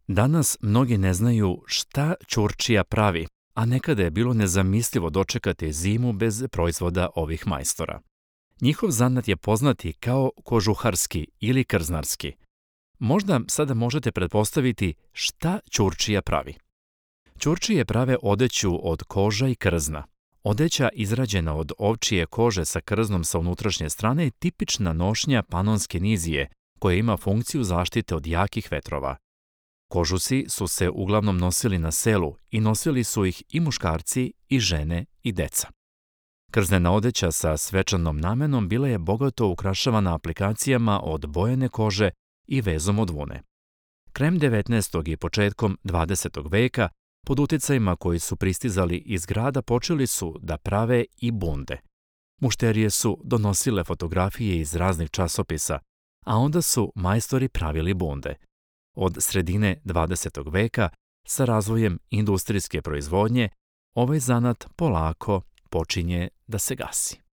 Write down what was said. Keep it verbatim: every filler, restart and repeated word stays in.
Danas mnogi ne znaju šta ćurčija pravi, a nekada je bilo nezamislivo dočekati zimu bez proizvoda ovih majstora. Njihov zanat je poznati kao kožuharski ili krznarski. Možda sada možete pretpostaviti šta ćurčija pravi. Ćurčije prave odeću od koža i krzna. Odeća izrađena od ovčije kože sa krznom sa unutrašnje strane je tipična nošnja panonske nizije, koja ima funkciju zaštite od jakih vetrova. Kožusi su se uglavnom nosili na selu i nosili su ih i muškarci, i žene, i deca. Krznena odeća sa svečanom namenom bila je bogato ukrašavana aplikacijama od bojene kože i vezom od vune. Krajem devetnaestog i početkom dvadesetog veka, pod uticajima koji su pristizali iz grada, počeli su da prave i bunde. Mušterije su donosile fotografije iz raznih časopisa, a onda su majstori pravili bunde. Od sredine dvadesetog veka, sa razvojem industrijske proizvodnje, ovaj zanat polako počinje da se gasi.